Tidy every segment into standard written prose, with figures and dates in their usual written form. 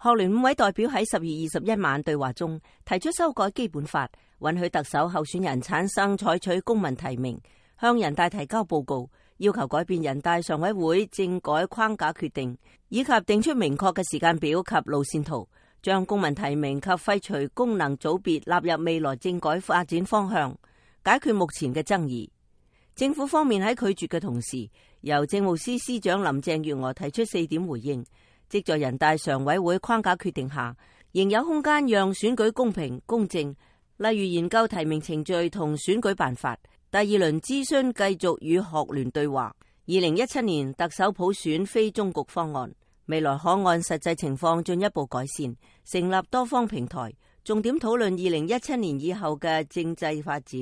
學聯5位代表喺10月21晚對話中提出修改基本法，允許特首候選人產生採取公民提名，向人大提交報告，要求改變人大常委會政改框架決定，以及定出明確嘅時間表及路線圖，將公民提名及廢除功能組別納入未來政改發展方向，解決目前嘅爭議。政府方面喺拒絕嘅同時，由政務司司長林鄭月娥提出4點回應，即在人大常委會框架決定下，仍有空間讓選舉公平公正，例如研究提名程序同選舉辦法。第2輪諮詢繼續與學聯對話。2017年特首普選非終局方案，未來可按實際情況進一步改善，成立多方平台，重點討論2017年以後嘅政制發展，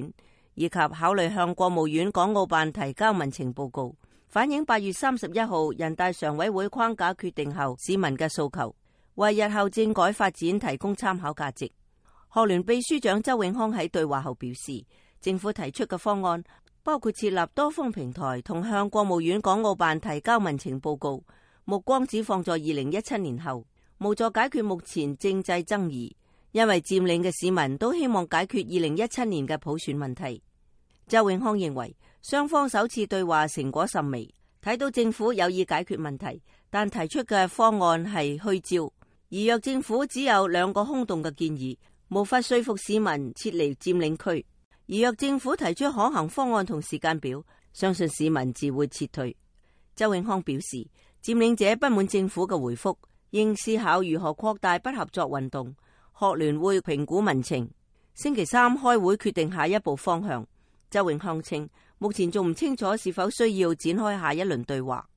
以及考慮向國務院港澳辦提交民情報告，反映8月31號人大常委會框架決定後市民嘅訴求，為日後政改發展提供參考價值。學聯秘書長周永康喺對話後表示，政府提出嘅方案包括設立多方平台同向國務院港澳辦提交民情報告，目光只放在2017年後，無助解決目前政制爭議，因為佔領嘅市民都希望解決2017年嘅普選問題。周永康認為雙方首次對話成果甚微，睇到政府有意解決問題，但提出嘅方案係虛招，而若政府只有2個空洞嘅建議，無法說服市民撤離佔領區。而若政府提出可行方案同時間表，相信市民自會撤退。周永康表示，佔領者不滿政府嘅回覆，應思考如何擴大不合作運動。學聯會評估民情，星期3開會決定下一步方向。周永康稱，目前仲唔清楚是否需要展開下一輪對話。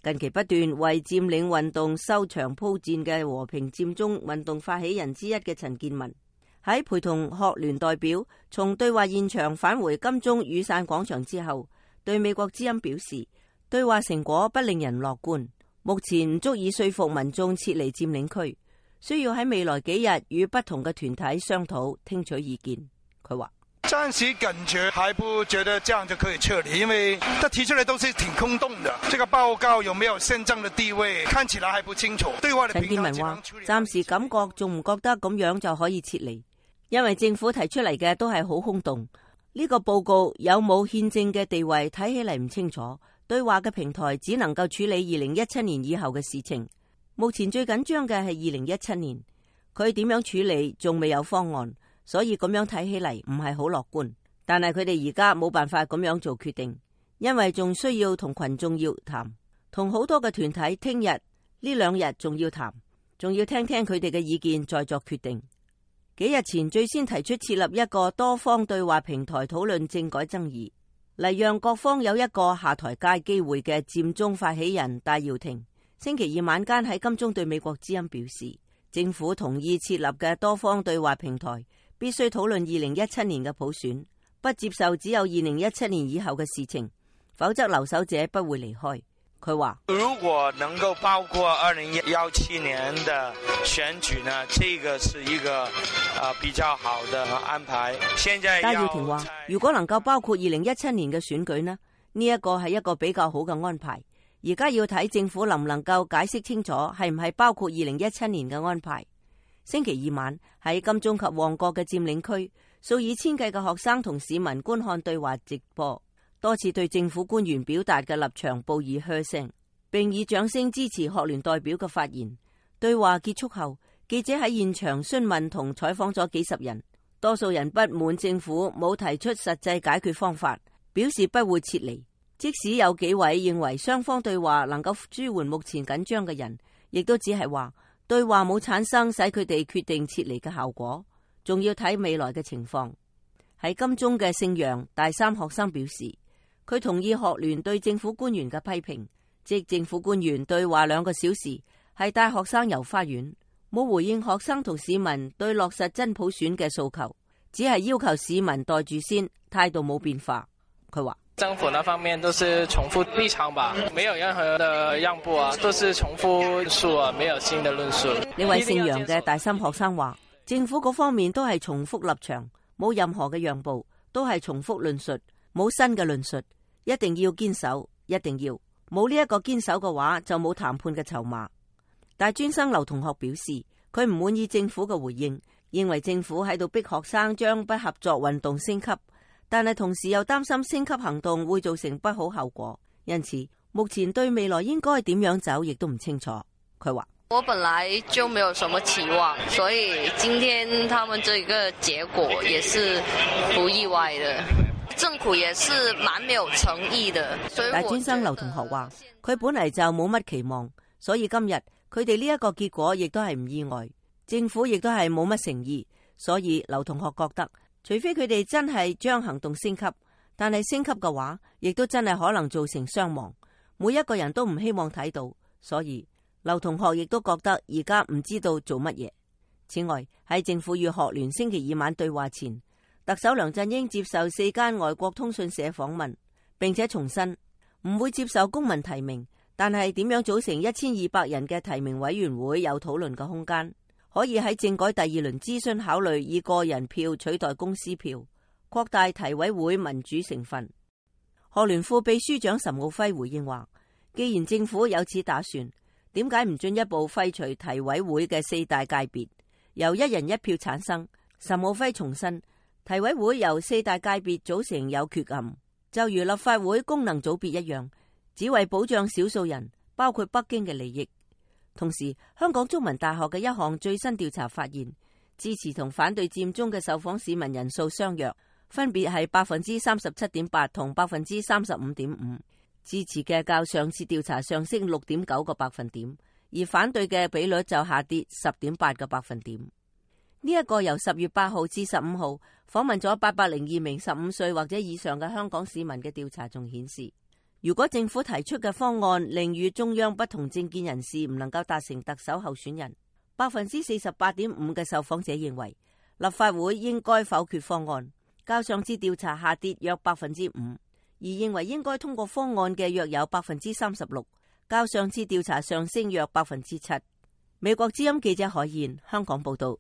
近期不斷為佔領運動收場鋪墊嘅和平佔中運動發起人之一嘅陳健民，喺陪同學聯代表從對話現場返回金鐘雨傘廣場之後，對美國之音表示，對話成果不令人樂觀，目前唔足以說服民眾撤離佔領區，需要喺未來幾日與不同嘅團體商討，聽取意見。佢話暫時感覺還不覺得這樣就可以撤離，因為他提出來都是挺空洞的。這個報告有沒有憲政的地位，看起來還不清楚。對話的陳健民話，暫時感覺仲唔覺得咁樣就可以撤離，因為政府提出嚟嘅都係好空洞。呢個報告有冇憲政嘅地位，睇起嚟唔清楚。對話嘅平台只能夠處理2017年以後嘅事情。目前最緊張嘅係2017年，佢點樣處理仲未有方案。所以咁樣睇起嚟唔係好樂觀，但係佢哋而家冇辦法咁樣做決定，因為仲需要同群眾要談，同好多嘅團體聽日呢2日仲要談，仲要聽聽佢哋嘅意見再作決定。幾日前最先提出設立一個多方對話平台討論政改爭議，嚟讓各方有一個下台階機會嘅佔中發起人戴耀廷，星期2晚間喺金鐘對美國之音表示，政府同意設立嘅多方對話平台必須討論2017年嘅普選，不接受只有2017年以後嘅事情，否則留守者不會離開。佢話：如果能夠包括2017年的選舉呢，這個是一個比較好的安排。現在戴耀廷話：如果能夠包括2017年嘅選舉呢，呢一個係一個比較好嘅安排。而家要睇政府能唔能夠解釋清楚係唔係包括2017年嘅安排。星期2晚喺金鐘及旺角嘅佔領區，數以千計嘅學生同市民觀看對話直播，多次對政府官員表達嘅立場報以噓聲，並以掌聲支持學聯代表嘅發言。對話結束後，記者喺現場詢問同採訪咗幾十人，多數人不滿政府冇提出實際解決方法，表示不會撤離。即使有幾位認為雙方對話能夠舒緩目前緊張嘅人，亦都只係話對話冇產生使佢哋決定撤離嘅效果，仲要睇未來嘅情況。喺金鐘嘅姓楊大三學生表示，佢同意學聯對政府官員嘅批評，即政府官員對話2個小時係帶學生遊花園，冇回應學生同市民對落實真普選嘅訴求，只係要求市民袋住先，態度冇變化。佢話政府那方面都是重複立場吧，沒有任何的讓步啊，都是重複論述啊，沒有新的論述。呢位姓楊嘅大三學生話，政府嗰方面都係重複立場，冇任何嘅讓步，都係重複論述，冇新嘅論述，一定要堅守，一定要冇呢一個堅守嘅話，就冇談判嘅籌碼。大專生劉同學表示，佢唔滿意政府嘅回應，認為政府喺度逼學生將不合作運動升級，但係同時又擔心升級行動會造成不好後果，因此目前對未來應該點樣走亦都唔清楚。佢話：我本來就沒有什麼期望，所以今天他們這個結果也是不意外的。政府也是蠻沒有誠意的。大專生劉同學話：佢本嚟就冇乜期望，所以今日佢哋呢一個結果亦都係唔意外。政府亦都係冇乜誠意，所以劉同學覺得，除非佢哋真係將行動升級，但係升級嘅話，亦都真係可能造成傷亡。每一個人都唔希望睇到，所以劉同學亦都覺得而家唔知道做乜嘢。此外，喺政府與學聯星期二晚對話前，特首梁振英接受4間外國通訊社訪問，並且重申唔會接受公民提名，但係點樣組成1200人嘅提名委員會有討論嘅空間，可以喺政改第2輪諮詢考慮以個人票取代公司票，擴大提委會民主成分。學聯副秘書長岑敖暉回應話：既然政府有此打算，點解唔進一步廢除提委會嘅4大界別，由1人1票產生？岑敖暉重申，提委會由4大界別組成有缺陷，就如立法會功能組別一樣，只為保障少數人，包括北京嘅利益。同時，香港中文大學嘅一項最新調查發現，支持同反對佔中嘅受訪市民人數相若，分別係37.8%同35.5%，支持嘅較上次調查上升6.9個百分點，而反對嘅比率就下跌10.8個百分點。呢一個由10月8號至15號訪問咗802名15歲或者以上嘅香港市民嘅調查仲顯示，如果政府提出嘅方案令與中央不同政見人士唔能夠達成特首候選人，48.5% 嘅受訪者認為立法會應該否決方案，較上次調查下跌約 5%， 而認為應該通過方案嘅約有 36%， 較上次調查上升約 7%。美國之音記者海燕香港報道。